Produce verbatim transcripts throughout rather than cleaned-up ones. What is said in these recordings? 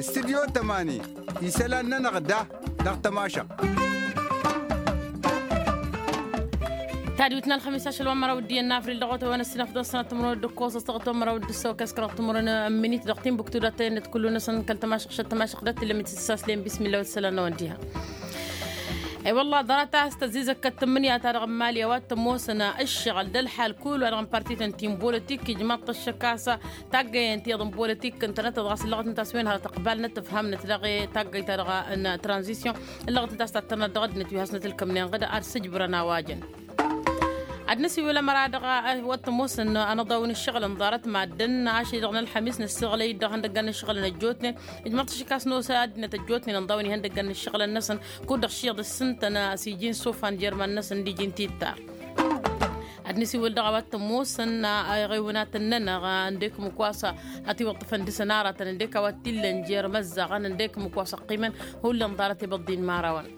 Studyo tămani isălan-nănăɣ da dăɣ-tămašăɣt. Tadwit n-ălxămis ašăl wa n-măraw d-iyyăn n-avril dăɣ-otăwăn ăssinăf d-ăssănăt timǝrwen d-ǝkkoẓ s-dăɣ-otăwăn măraw d-ǝssăwăk ăskăraɣ timǝrwen n-minit dăɣ-tinbuktu dat-tăyănnăt kullu-năsăn kăl-tămašăɣt šăt tămašăɣt dat-tǝllăm itǝssaslen bismillah wa d-isălan-năwăn diha. E-wălla ḍarăt a-s tăzzizăkkăt tǝmmǝnǝya-ta-dăɣ n-imali a-wa t-ămoosăn ǝššăɣǝl d-ălḥal kul-wa-dăɣ n-partităn ti n-bolotik ijmaḍ-t ăššăk a-s taggăyăn tiyyăḍ n-bolotik ǝntănăt-ăḍ ɣas ǝllăɣăt ǝnta a-s wen hărăt ăqbal n-ăttăfham-năt dăɣ-e taggăyt-ta-dăɣ n-tranzisyon ǝllăɣăt ǝnta a-s tattărnăt dăɣ-ăddinăt wi hasnăt ǝlkămnen ɣǝd ad-sǝjbǝrăn a-wa jăn. Ad-nǝsiwǝl ămăra-dăɣ a-wa t-ămoosăn anăḍaw n-ǝššăɣǝlăn ḍarăt maddǝn ašăl-i-dăɣ n-ălxămis năssiɣlăy-dd dăɣ-ihăndăggan n-ǝššăɣǝlăn ăjjootnen ijmăḍ-t ašăk a-s n-osa ăddinăt ăjjootnen ănḍawăn ihăndăggan n-ǝššăɣǝlăn-năsăn kud-dăɣ šiḍ ǝssǝntăn s-iji n-isofan jer-iman-năsăn d-iji n-tittar. Ad-nǝsiwǝl dăɣ-a-wa t-ămoosăn iɣewnatăn-nănăɣ ǝndek ǝmmǝk wa s-ătiwăṭṭăfăn dăɣ-săn aratăn ǝndek a-wa t-illăn jer-imăzzaɣăn ǝndek ǝmmǝk wa s-ăqqimăn hullan ḍarăt ibăḍḍin imărawăn.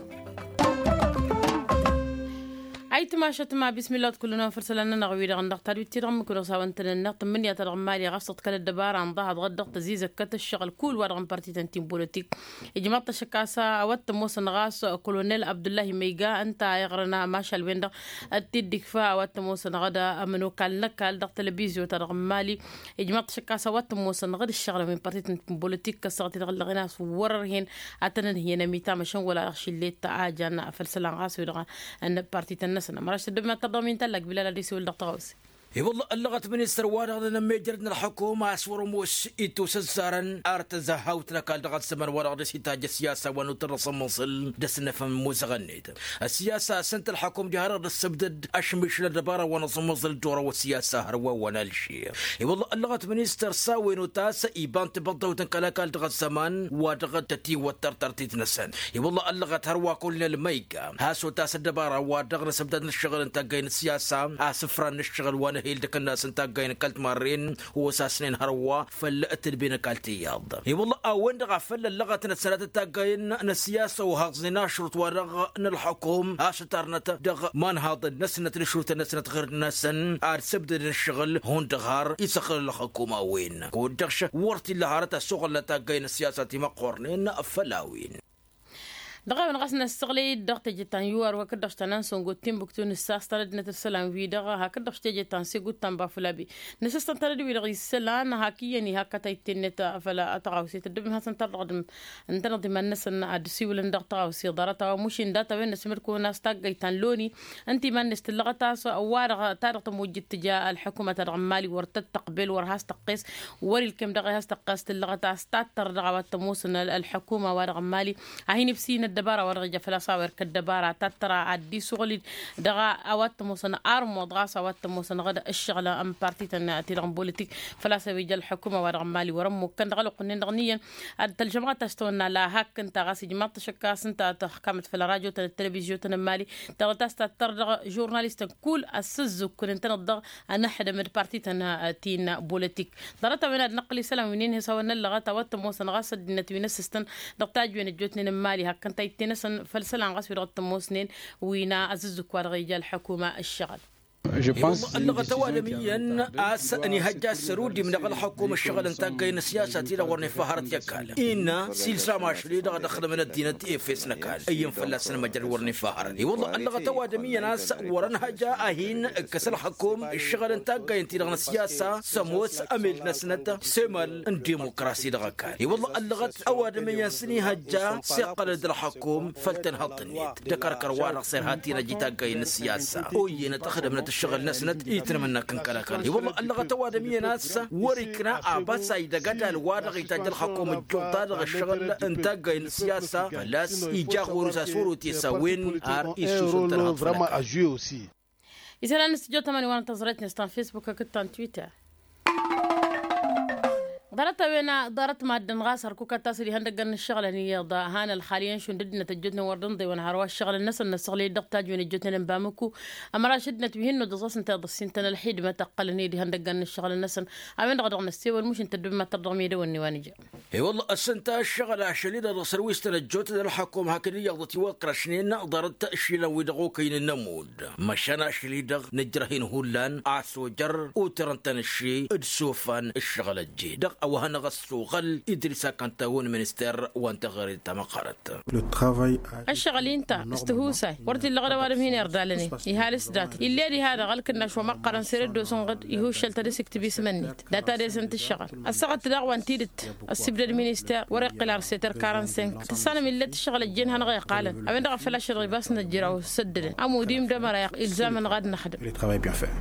Ayǝtmašăt ma bismillah wa t-kullăn wa n-făr isălan-nănăɣ-wi-dăɣ ǝndăɣ tadwit-ti-dăɣ ǝmmǝk-dăɣ s-a-wa ǝntănănneɣ tǝmmǝnǝya-ta-dăɣ n-imali ɣas tăḍkăl ăddăbara ănḍahăḍ ɣǝd-dăɣ tăzizăkkăt ǝššăɣǝl kul wa-dăɣ n-partităn ti n-bolotik. Ijmaḍ-t ašăk a-s a-wa t-ămoosăn ɣas kolonel abdullahi măyga ǝnta a iɣrăn mašal-wen-dăɣ d-tidd-ikfa a-wa t-ămoosăn ɣǝd ămănokal n-ăkall dăɣ-televizyo-ta-dăɣ n-imali. Ijmaḍ-t ašăk a-s a-wa t-ămoosăn ɣǝd ǝššăɣǝlăn wi n-partităn ti n-bolotik kăssaɣăt-i-dăɣ ǝllăɣen a-s wăr-ărhen ad-tăn-ǝnhǝyăn ămitam ašăn wăla dăɣ-šillet a jan făll-isălan ɣas wi-dăɣ n-partităn-năsăn ămăraš tăddobem ad-tărdăɣ mi n-tallak bilal ad-isiwǝl dăɣ-tăɣawse. I-wălla ăllăɣăt ministăr-wa-dăɣ n-enămmejăr n-ălxukum a-s wăr-ămoos itosăzzarăn ar tăzahawt n-ăkall dăɣ-ăzzăman-wa-dăɣ dăr-s itajj ăssiyasa wa n-utăr n-asǝmmăẓǝl d-asǝnnăfăn imuzăɣăn-net. Ăssiyasa a-s ǝnta ălxukum ja hărăɣ d-ăssăbdăd ašmišǝl ăddăbara wa n-asǝmmăẓǝl d-orăw ăssiyasa hărwa wa n-alžir. I-wălla ăllăɣăt ministăr s-a-wen otas iba n-tibăḍḍăwt n-kăl-ăkall dăɣ-ăzzăman wa dăɣ-tătiwăt tărtărtit-năsăn. I-wălla ăllăɣăt hărwa kolnel măyga has-otas ăddăbara wa dăɣ-năsăbdăd n-ǝššăɣǝl n-taggay n-ăssiyasa asǝfran n-ǝššăɣǝl wa n-ehil d-akǝnnas n-taggay n-kăl-timarren. Osasnen hărwa făll-tǝdbe n-ăkall tiyyăḍ i-wălla a-wen-dăɣ a făl ăllăɣătnăt sănatăt taggayen n-ăssiyasa ohăẓnen ašrut-wa-dăɣ n-ălxukum a-s ǝtarnăt dăɣ-imanhaḍăn-năsnăt n-ašrutăn-năsnăt ɣǝr-năsăn ad-săbdădăn ǝššăɣǝl hundăɣ har isăɣlăl ălxukum a-wen kud-dăɣ šăk wăr t-illa hărăt ăssoɣălnăt taggayen n-ăssiyasa timăqqornen făll-a-wen. Dăɣ-a-wen ɣas năssăɣlăy-dd dăɣ-teje ta n-yuwar wa kăd-dăɣ-š ta n-ansăngot timbuktu nǝssas tanădnet isălan-wi-dăɣ hakd-dăɣ-š teje ta n-segut ta n-bafulabi. Nǝsǝstăn tanăd-wi-dăɣ isălan hak iyyăn ihak kătay t-tennet făll-tăɣawse tăddobem hasăn-tărdăɣ d-ǝntăneḍ iman-năsăn ad-dd-siwǝlăn dăɣ-tăɣawse ḍarăt a-wa mušin data-wen năsmăd-kăwăn a-s taggayt ta n-loni. Ǝnta iman-net tǝllăɣăt a-s ăwadăɣ ta dăɣ-tămujjǝt tǝja ălḥukumăt-a-dăɣ n-mali wăr tăt-tăqbel wăr has-tăqqes. Wăr-ilkem dăɣ-e has-tăqqes tǝllăɣăt a-s tattăr dăɣ-a-wa t-ămoosăn ălḥukuma-wa-dăɣ n-mali. Ad-hin-ibsǝyǝn ăddăbara-wa-dăɣ ija făl-a-s a-wa irk ăddăbara tattăra ad-dd-isuɣǝl-dd dăɣ-a-wa t-ămoosăn armuḍ ɣas a-wa t-ămoosăn ɣǝd ǝššăɣǝl n-partităn ti-dăɣ n-bolitik. Făl-a-s a-wa ija ălḥukuma-wa-dăɣ n-mali wăr-ămmukkăn dăɣ-ălwăqq-nin-dăɣ n-iyyăn. Tălžămɣăt a-s tăwănna la hak ǝnta ɣas ijmaḍ-t ašăk a-s ǝnta tăxkamăt făll-ărajo-tăn d-televizyo-tăn n-mali. Tăɣ-tas tattăr dăɣ-žurnalistăn kull ăssǝzzǝkkǝn ǝntăneḍ-dăɣ ănăxdăm d-partităn ti n-bolotik. Ḍarăt-a-wen ad-năqqǝl isălan wi n-inhǝy s-a-wen n-ăllăɣăt a-wa t-ămoosăn ɣas ăddinăt wi n-ăssistăn dăɣ-tajwen ăjjootnen n-mali hak ǝnta a ittenăsăn făll-isălan ɣas wi-dăɣ t-ămoosnen wi n-azǝzzǝk wa dăɣ-ija ălḥukuma ǝššăɣǝl. I-wălla ăllăɣăt ăwadǝm iyyăn a-s ănihăjja s-săr udim-năɣ ălxukum ǝššăɣǝl n-taggay n-ăssiyasa-ti-dăɣ wăr neffa hărăt i-ăkall innă s-ilsam ašăl-i-dăɣ ad-ăxdămăn ăddinăt efes n-ăkall iyyăn fălla-săn măjrăd wăr neffa hărăt i-wălla ăllăɣăt ăwadǝm iyyăn a-s wăr-ănhăja a hin-ǝkkăs ălxukum ǝššăɣǝl n-taggay ǝnta-i-dăɣ n-ăssiyasa s-ămoos ămel-năsnăt s-emal n-dimokrasi dăɣ-ăkall i-wălla ăllăɣăt ăwadǝm iyyăn s-ănihăjja s-iqqălăn d-ălxukum făll-tanhăḍt-net d-akărkăr-wa-dăɣ s-irha-t-in-ăj i-taggay n-ăssiyasa oyyănăt ăxdămnăt ǝššăɣǝl-năsnăt itnămănna kǝn kăl-ăkall i-wălla ăllăɣăt ăwadǝm iyyăn a-s wăr-ikna abăsay dăgg-ădal-wa-dăɣ itajj ălxukum ǝjjuḍ-ta-dăɣ ǝššăɣǝl n-taggay n-ăssiyasa fălla-s ija ɣur-s a-s wăr-otǝs a-wen ar issusǝn tănhăḍ făll-ăkall. Isălan n-studyo tămani wa n-tăẓrayt-net ta n-facebook hakd ta n-twitter. Ḍarăt-a-wen a ḍarăt maddǝn ɣas hărkuk ad-tasǝd ihăndăggăn n-ǝššăɣǝlăn iyyăḍ a hanăl xaliyăn šund ăddinăt ăjjootnen wăr dănḍewăn hărwa ǝššăɣǝlăn-năsăn năssăɣlăy-dd dăɣ-tajwen ăjjootnen n-bamǝku. Ămăraš ăddinăt wi hin-nuḍǝẓ a-s ǝnta iḍǝssin-tăn ălxidmăt ăqqălăn i-dd ihăndăggăn n-ǝššăɣǝlăn-năsăn. A-wen-dăɣ a dăɣ-năssewăl muš ǝnta ăddoobem ad-tărdăɣ meddǝwăn n-iwa nǝja. E-wălla ăssănta ăššăɣǝl ašăl-i-dăɣ dăɣ-sărwiistăn ăjjootnen ălxăkum hakd iyyăḍ ătiwăkrăšnen ḍarăt išilan-wi-dăɣ okăynen n-ămudd. Măšan ašăl-i-dăɣ nǝjrăh-in hullan a-s ojăr utrăn-tăn ǝšši d-isofan ǝššăɣǝl-ăjjeen dăɣ-a-wa hanăɣ-ăssoɣăl idris akăntawăn minister wa n-teɣăre tamăqqărăt. Ăššăɣǝl-i ǝnta s-tihusay wăr t-illăɣăd ăwadǝm hin-irdalăn-in. Ihalǝs datăt ill'-e diha-dăɣ ălkǝnnaš wa măqqărăn sere dd-osǝnɣǝd ihuššăl-tăn isǝktǝb isǝm-net. Data desen tǝššăɣǝl ăssaɣăt daɣ wa n-tidǝt ăssibdăd minister wăr-iqqǝl ar seter karăn-senk tǝssanăm ill'-e tǝššăɣǝl ăjjeen hanăɣ-iqqalăn a-wen-dăɣ a făl ašăl ɣibas n-ăjjăraw săddădăn ămudim d-ămăra ilzam-anăɣ ad-năxdǝm.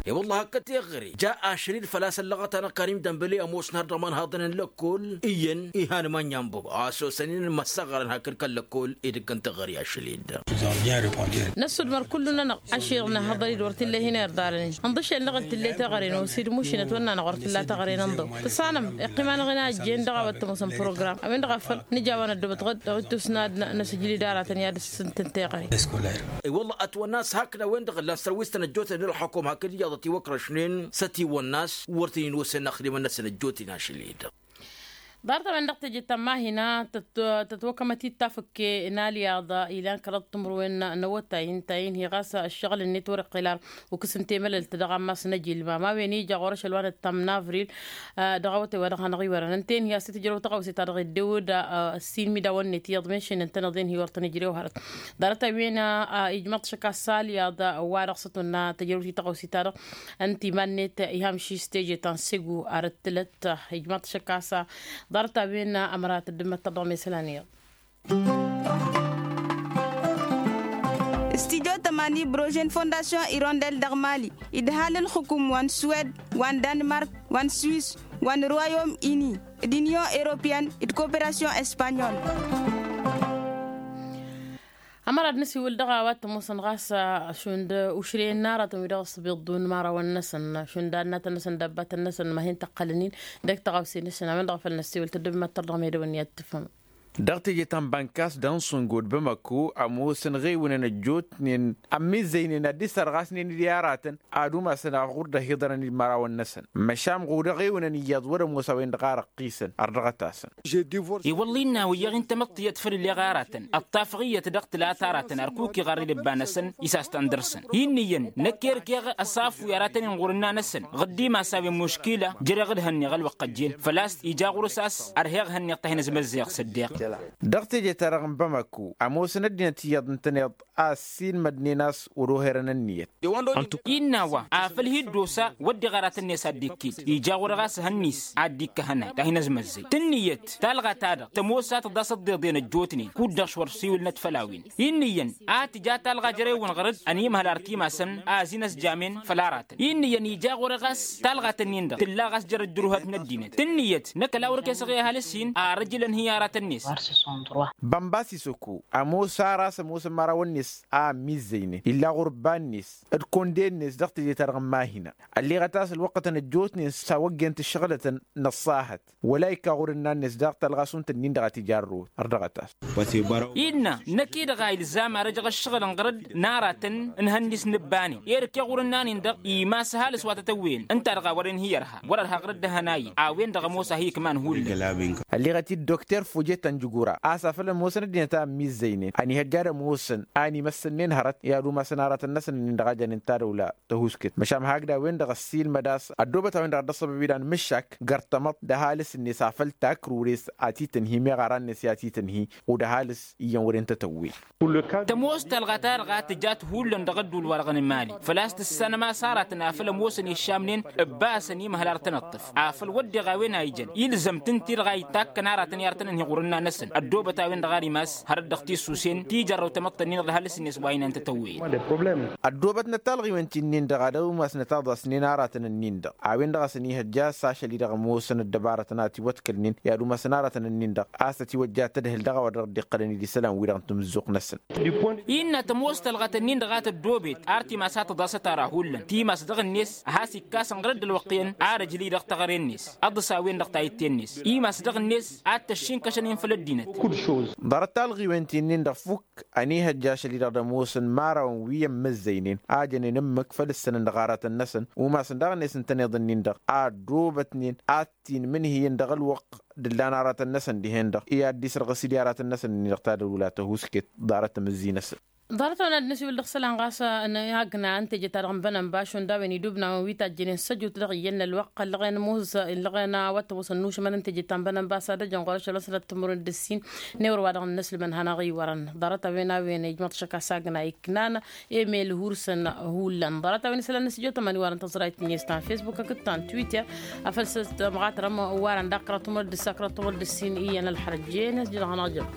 E-wălla hakd teɣăre ja ašăl-i d-făl-a-s ăllăɣăt-anăɣ karǝm dănbăle ămoosăn har dăɣ-imanhaḍăn n-lăkkol iyyăn ihan mănyan băbo a-s osăn-in măssăɣrăn hakd kăl-lăkkol edăgg n-teɣăre ašăl-i-dd. Năssudmăr kullu-nănăɣ ašăl-năhăḍăr-dd wăr t-illa hin-irḍalăn-in ǝnḍǝšel-năɣ d-tǝlle teɣăre n-osid mušinăt wănna-năɣ wăr t-illa teɣăre n-ǝnḍăw tǝssanăm iqqim-anăɣ-in a ăjjeen dăɣ-a-wa t-ămoosăn program a-wen-dăɣ a făl nǝja a-wa năddobăt ɣǝd dăɣ-ittus n-ad-năsǝj lid-aratăn i-ad-ǝssǝntǝn teɣăre. I-wălla ătwănna a-s hakd a-wen-dăɣ ǝllan sărwistăn ăjjootnen ălxăkom hakd iyyăḍ ătiwăkrăšnen s-ătiwănna a-s wăr t-in-inosen ăxdimăn-năsăn ăjjootnen ašăl-i-dăɣ. Ḍarăt-a-wen-dăɣ teje ta n-mahina tăt-tătwăkămăt-dd tafǝkke n-alyaḍ ilan kăraḍ timǝrwen n-awătay ǝnta-in hi-ɣas ăššăɣǝl-net wăr-iqqel ar ukǝs n-temălălt dăɣ-ammas n-ejilmam a-wen ija ɣur-ašăl wa nǝttam n-avril. Dăɣ-awătay wa dăɣ-hanăɣ-iwărăn ǝnta-in hi-asǝtǝjrăw tăɣawse-ta-dăɣ edde-wăd. S-inmidawăn-net iyyăḍ menšen ǝntăneḍ-en hi-wăr tăn-ijrew hărăt. Ḍarăt-a-wen ijmăḍ šăkk a-s alyaḍ wa dăɣ-s ătwănna tăjrăwt i-tăɣawse-ta-dăɣ ǝnta iman-net iha amšis teje ta n-segu arăt tǝlăt. Ijmăḍ šăkk a-s ḍarăt-a-wen ămăra tăddǝmmăt tăḍḍăɣ mesălan iyyăḍ. Studyo tămani brožen fondasyon irondel dăɣ-mali d-ǝhal n-xǝkum wa n-suwed wa n-danmark wa n-swis wa n-ruwayom ini d-inyon europeyăn d-koperasyon espanyol. Ămăra d-nǝsiwǝl dăɣ-a-wa t-ămoosăn ɣas šund ušrăyăn n-aratăn wi dăɣ-s ăṣbiḍ d-unmărawăn-năsăn šund annatăn-năsăn dăbbatăn-năsăn ma hin-tăqqălăn-in dăgg-taɣawse n-ašăn a-wen-dăɣ a făl năssiwǝl tăddǝbmăt tărdăɣ meddǝwăn i-ad-tǝfhǝmăm. Dăɣ-teje ta n-bănkas dăɣ-n sǝngo d-bamako ămoosăn ɣewnăn ăjjootnen ămmizzăynen ad-dd-sărɣasnen d-i-aratăn ad-umasăn aɣur dd-ăhiḍărăn d-imărawăn-năsăn. Măšan ɣur-dăɣ ewǝnăn iyyăḍ wăr-ămoos a-wen-dăɣ a răqqisăn ărdăɣăt-asăn. I-wălla innă a-wen-dăɣ ǝnta măṭṭiyăt făll-illeɣ aratăn ăṭṭafăɣ iyyăt dăɣ-tǝlat aratăn ărkuk iɣarrǝy d-ǝbba-năsăn. Isass-tăn dăr-săn hi-ǝnniyăn năkk erkeɣ ăsafuyar a tăn-inɣur ǝnna-năsăn ɣǝddim-as a-wen muškila. Jăreɣ d-hănneɣ ălwăqq ăjjeen făl-a-s ija ɣur-s a-s ărheɣ hănneɣ-t a hin-ăzmăzzeɣ s-ăddeɣ. Dăɣ-teje-ta-dăɣ n-bamako ămoosăn ăddinăt iyyăḍ ǝntăneḍ a ăssiilmădnen a-s wăr-oherăn ǝnniyăt. Innă a-wa afăl hi-dd-osa wădden aratăn-net ad-dd-ikkit ija ɣur-e ɣas ehăn-net ad-dd-ikkăhăn ad-hin-ăzmăzzăy tǝnniyăt talɣa-ta-dăɣ tămoos a tǝḍas ăḍḍeḍen ăjjootnen kud-dăɣ s-wăr-siwǝlnăt făll-a-wen. Innă iyyăn a tǝja talɣa jere-wăn ɣăr-dd ănimhăl ar timasăn a ăzin ăsjamen făll-aratăn innă iyyăn ija ɣur-e ɣas talɣa-tăn-in-dăɣ tǝlla ɣas jer-ăddurhăt n-ăddinăt tǝnniyăt năkk ăla wăr-kesăɣ i-ăhalǝs-in. Ar ăjǝlăn hi-aratăn-net. Bănbas isăko ămoos ar a-s ămoosăn imărawăn-net a ămmizzăynen illa ɣur-ǝbba-net d-konde-net dăɣ-teje-ta-dăɣ n-mahina. Ălleɣăt a-s ălwăqqătăn ăjjootnen s-a wăggen tǝššăɣlătăn n-ăṣṣahăt wăla ikka ɣur-ǝnnan-net daɣ talɣa šund tǝnnin-dăɣ a t-ija ărrăwăt ărdăɣăt-as. Innă năkk-i-dăɣ a ilzam ar ăjăɣ ǝššăɣǝl n-ɣăr-dd n-aratăn n-ihănnis n-ǝbbanen. Erk i-ɣur-ǝnnan-in-dăɣ imas ăhalǝs wa tătăwweyăn ǝnta-dăɣ a wărăn hi-ărha wăr-ărha ɣăr-dd ehăn a-i a-wen-dăɣ ămoos a hi-ikman hullan. Ălleɣăt-dd dokter fojet ănjǝgura a-s afăl ămoosăn ăddinăt a ămmizzăynen ănihăjja ad-ămoosăn a ănimăssănnen hărăt i-ad-umasăn aratăn-năsăn ǝnnin-dăɣ a jănen tadăwla. Tăhuskǝt măšan hakd a-wen-dăɣ ăssiilmăd a-s ăddoobăt a-wen-dăɣ dd-ăṣṣăbăb idan mǝššak găr-tamăḍt d-ăhalǝs-net afăl takrure s-a t-tǝnhi meɣ aran-net i-a t-tǝnhi. Od-ăhalǝs iyyăn wăren tătăwwen. Tămoos talɣa-ta-dăɣ a tǝjat hullan dăɣ-ădduul-wa-dăɣ n-imali făl-a-s tǝssanăm a-s aratăn afăl ămoosăn iššamnen ǝbbasăn imhăl ar tăn-ǝṭṭǝf afăl wădden a-wen a ijăn ilzăm-tǝn-ti-dăɣ a itakkăn aratăn i-ar tăn-ănhi ɣur-ǝnna-năsăn ăddoobăt a-wen-dăɣ ar imas hărăt dăɣ-tissusen ti jărrăw tamăḍt-ǝnnin-dăɣ. Dăɣ-s-net wa inăn tătăwweyăt. Ăddoobătnăt talɣiwen ti-nin-dăɣ ad-ămasnăt aḍasnen aratăn-nin-dăɣ a-wen-dăɣ a-s ănihăjja a-s ašăl-i-dăɣ ămoosăn ăddăbarătăn a tiwătkălnen i-ad-umasăn aratăn-nin-dăɣ a-s ătiwăjja tadhǝl dăɣ-a-wa dăɣ-dd-iqqălăn idisălan-wi-dăɣ n-tamǝzzuɣt-năsăn. Innă tămoos talɣăt-nin-dăɣ a tăddoobet ar timas a tăḍasăt ara hullan timas dăɣ-net a has-ikkasăn ɣur-dd ălwăqq-en ar ăjli dăɣ-teɣăre-net ăḍḍǝs a-wen-dăɣ tayǝtte-net imas dăɣ-net ad-t-ăššinkăšăn-in făll-ăddinăt. Ḍarăt talɣiwen ti-nin-dăɣ fukk ănihăjja ašăl-i-dăɣ d-ămoosăn imărawăn wi ămmăzzăynen a jănen ǝmmǝk făll-ǝssănăn dăɣ-aratăn-năsăn umasăn daɣ-net ǝntăneḍ-nin-dăɣ a ăddoobătnen ad-t-inmǝnhǝyăn dăɣ-ălwăqq d-ǝllan aratăn-năsăn dihen-dăɣ i-ad-dd-isrăɣ s-dd i-aratăn-năsăn-nin-dăɣ tadălula tăhuusket. Ḍarăt-wen ad-nǝsiwǝl dăɣ-isălan ɣas n-agna n-teje-ta-dăɣ n-bănănbaš šund a-wen idubna-wen wi tajjănen s-ăjut dăɣ-iyyăn n-ălwăqq ăllăɣen ămoos ăllăɣen a-wa t-ămoosăn n-ušmăn n-teje ta n-bănănbas ad-ăjăn ɣur-ăššăl a-s năttămărun d-ǝssin n-ewăr wa dăɣ-nǝnăslǝmăn hanăɣ-iwărăn. Ḍarăt-a-wen a-wen ijmăḍ šăkk a-s agna iknan emel hursăn hullan ḍarăt-a-wen isălan n-asǝjotămăn iwărăn tăẓrayt-net ta n-fesbuk hakd ta n-twitter. Afăl s-tămɣatărăm iwărăn daɣ kăraḍ tumăr d-ǝssa kăraḍ tumăr d-ǝssin iyyăn ălxărăt jen ăsjădăɣ hanăɣ-jăr.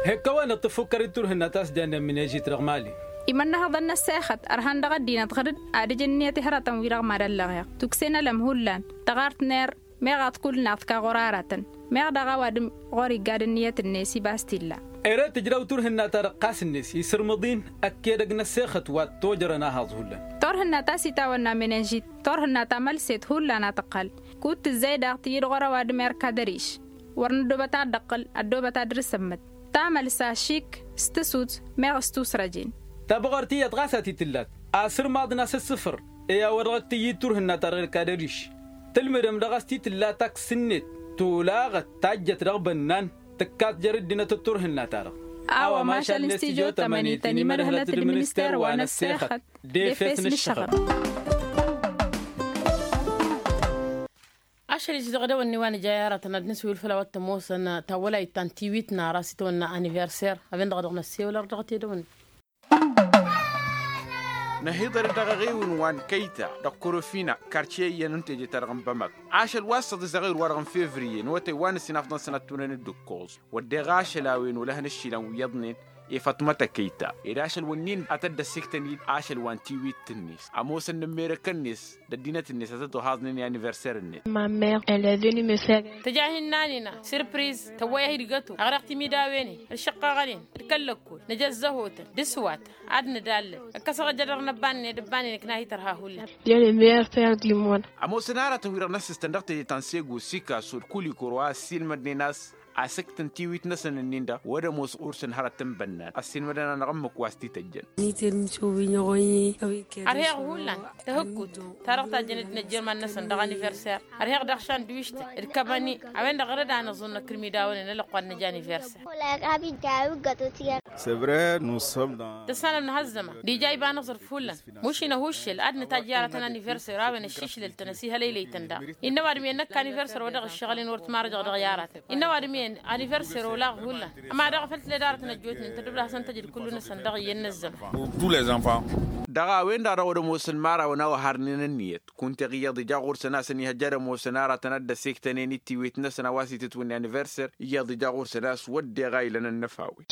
He ǝkkăwăn-dăɣ tǝffukkăr-dd turhǝnna ta s-jannen mǝnežit dăɣ-mali. Imănnăhăḍăn n-ăssexăt ărhan dăɣ-ăddinăt ɣǝr-dd ad-ǝj ǝnniyăt i-hărătăn-wi-dăɣ mad-ăllăɣeɣ tukse n-ălăm hullan tăɣart n-err meɣ ad-t-kull naɣ tǝka ɣur-aratăn meɣ daɣ ăwadǝm ɣur-iggad ǝnniyăt-net ibas t-illa. Ere tǝjraw turhǝnna-ta-dăɣ ɣas-net isǝrmǝḍ-in ăkk edăgg n-ăssexăt wa t-tojărăn ahaẓ hullan. Turhǝnna ta s-itawănna mănăžit turhǝnna ta mălset hullan a tǝqqăl kud-tǝzzay daɣ tǝyyǝd ɣur-ăwadǝm erk ad-ăriš wăr nǝddobăt ad-dăɣ-tǝqqǝl ăddoobăt ad-dăr-s ămmăd tamălsa šik s-tǝsut meɣ s-tusrăjen. Tabăɣart iyyăḍ ɣas a t-tǝllat asǝrmaḍ n-asǝssǝfăr i-a-wa dăɣ-t-tǝyyǝd turhǝnna-ta-dăɣ erk ad-ăriš tǝlmǝdăm dăɣ-s t-tǝlla taksǝnnet tolaɣăt tajjăt dăɣ-bănnan tǝkkat jer-ǝddinăt d-turhǝnna-ta-dăɣ. A-wa mašal n-stijo tămănit ănimădhălăt d-minister wa n-ăssexăt d-efes n-ǝššăɣǝl. Ašăl-i s-dăɣ-edăwănni wa nǝja i-aratăn ad-nǝswǝyǝl făll-a-wa t-ămoosăn tawălayt ta n-tiwit n-ara s-itawănna aniverser a-wen-dăɣ dăɣ-năssewăl ar dăɣ-t edăwănni. Năhiḍăr-dd dăɣ-eɣewǝn wa n-kăyta dăɣ-korofina kartiye iyyăn n-teje-ta-dăɣ n-bamăk ašăl wa s-săḍǝs dăɣ-ewǝr-wa-dăɣ n-fevriye n-awătay wa n-ăssinafḍăn sănăt tunăn-dd ǝkkoẓ wădden ašăl a-wen olăhăn ǝššilăn wi iyyăḍnen i-făṭmăt ăkăyta ed ašăl wǝnnin ad-tădd-ăssiktăn-dd ašăl wa n-tiwit-net ămoosăn n-ămmerekăn-net d-ăddinăt-net ad-tăt-ohaẓnen i-aniverser-net. Tăja hin-nan-ina sirpriz tăwwăy-ăhid găto ăɣreɣ timidawen-in ălšăqqăɣăn-in d-kăl-lăkkol năj ăzzăhotăn d-aswatăn ad-nǝdallăl ǝkkăsăɣ ăjădăr n-ăbbanen ed ăbbanen ǝkna hitărha hullan. Ămoosăn aratăn-wi-dăɣ n-ăssistăn dăɣ-teje ta n-sego sikaso d-kulikoro a ăssiilmădnen a-s asǝkt n-tiwit-năsăn ǝnnin-dăɣ wăr-ămoos ɣur-săn hărăt n-bănnan ăssiilmădăn-anăɣ ǝmmǝk wa s-t-ităjjăn. Ărheɣ hullan tahǝkkut-ta-dăɣ tajjăn dd-inăjj irman-năsăn dăɣ-aniverser. Ărheɣ daɣ šandwištăn d-kăbăni a-wen-dăɣ ɣărăd-anăẓ unăkr imidawăn-en ălăqqal n-ija aniverser. Tăssanăm nǝha ăzzăman d-ija iba n-aẓrǝf hullan mušin ăhuššel ad-nǝtajj i-aratăn aniverser a-wen ăššišlăl-tăn ăsihălăylăy-tăn daɣ. Innă ăwadǝm-i ănnăkk aniverser wa dăɣ-ǝššăɣǝl-in wăr t-marăjăɣ dăɣ-i-aratăn innă ăwadǝm-i aniverser olaɣ hullan. Ăma daɣ făll-tǝled aratăn ăjjootnen tăddob dăɣ-hasăn-tăjǝd kullu-năsăn dăɣ-iyyăn n-ăzzăman. Dăɣ-a-wen-dăɣ dăɣ-wăr-ămoosăn imărawăn a-wa harnen ǝnniyăt kunta iyyăḍ ija ɣur-săn a-s ănihăjja ad-ămoosăn aratăn ad-dd-ăsiktănen i-tiwit-năsăn a-wa s-itǝtwǝnne aniverser iyyăḍ ija ɣur-săn a-s wădden a ilăn ănnăfawen.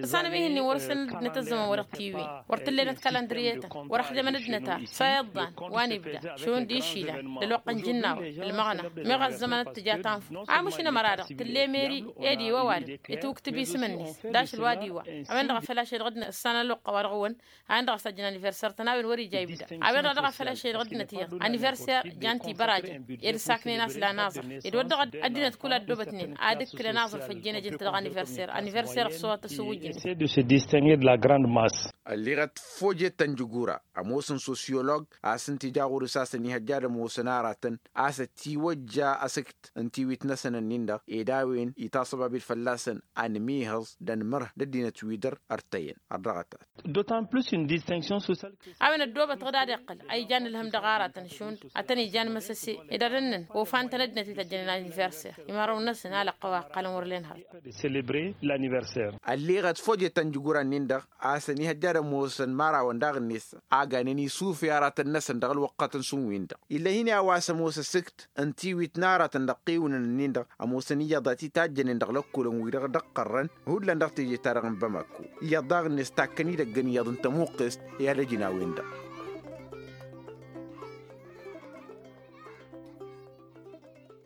Ăsanăm ih'-ǝnnin wăr-săn ăddinăt ăzzăman wa dăɣ-tiwǝyăn wăr t-ǝllenăt kălandriyetăn wăr-ăxdămăn ăddinăt a-s a iḍḍan wa n-ibda šund išilăn d-ălwăqq n-ijǝnnawăn ălmăɣna meɣ ăzzăman d-tǝja tanfut. Amuš inămăra-dăɣ tǝlle meri ed iwăwadǝm itwǝktǝb isǝm-net d-ašăl wa d-iwa a-wen-dăɣ a făl ašăl dăɣ-dd-năssanăn ălwăqq a-wa dăɣ-wăn a-wen-dăɣ a-s ăjjăn aniverser-tăn a-wen wăr-ija ibda. A-wen-dăɣ a dăɣ-a făl ašăl dăɣ-ăddinăt iyyăḍ aniverser jan-t-ibărajăn ed ǝssaknen a-s la naẓăr ed wăr dăɣ-ăddinăt kull ăddobătnen ad-ǝkkǝlăn aẓrǝf ăjjeen ăjǝn-t dăɣ-aniverser aniverser ăṣṣuwat ăsǝwwǝjnen. Ălliɣăt fojet ta n-jǝgura ămoosăn sosyolog a-s ǝnta ija ɣur-s a-s ănihăjja ad-ămoosăn aratăn a-s ătiwăjja asǝkt n-tiwit-năsăn. ănnănnin-dăɣ ed a-wen itaṣăbabil fălla-săn anmihăẓ d-anmărh d-ăddinăt wi dăr-ărtăyăn. Ărdăɣăt-at. D'autant plus une distinction sociale. A-wen ăddoobăt-dăɣ d-ad-iqqăl a ijan ǝlhǝm dăɣ-aratăn šund ad-tăn-ijan măsăse ed ad-ănnăn ofan-tăn ăddinăt wi tăjjănen aniverser. Imărăwăn-năsăn a lăqqăw a ǝqqălăn wăr len hărăt. Célébrer l'anniversaire. Ălleɣăt fojăt ănjǝgura-nin-dăɣ a-s ănihăjja ad-ămoosăn imărawăn daɣ-net a ganen isufe aratăn-năsăn dăɣ-ălwăqqătăn šund-win-dăɣ. Ill'-e-hin i-a-wa s-ămoos asǝkt ǝnta iwit n-aratăn dăɣ-tiwǝnăn-nin-dăɣ ămoosăn iyyăḍ a t-itajjănen dăɣ-lăkkolăn-wi-dăɣ d-ăqqărrăn hullan dăɣ-teje-ta-dăɣ n-bamako. Iyyăḍ daɣ-net takkăn-id ăggăn iyyăḍ ǝnta ămuqqes i-ad-ăj n-a-wen-dăɣ.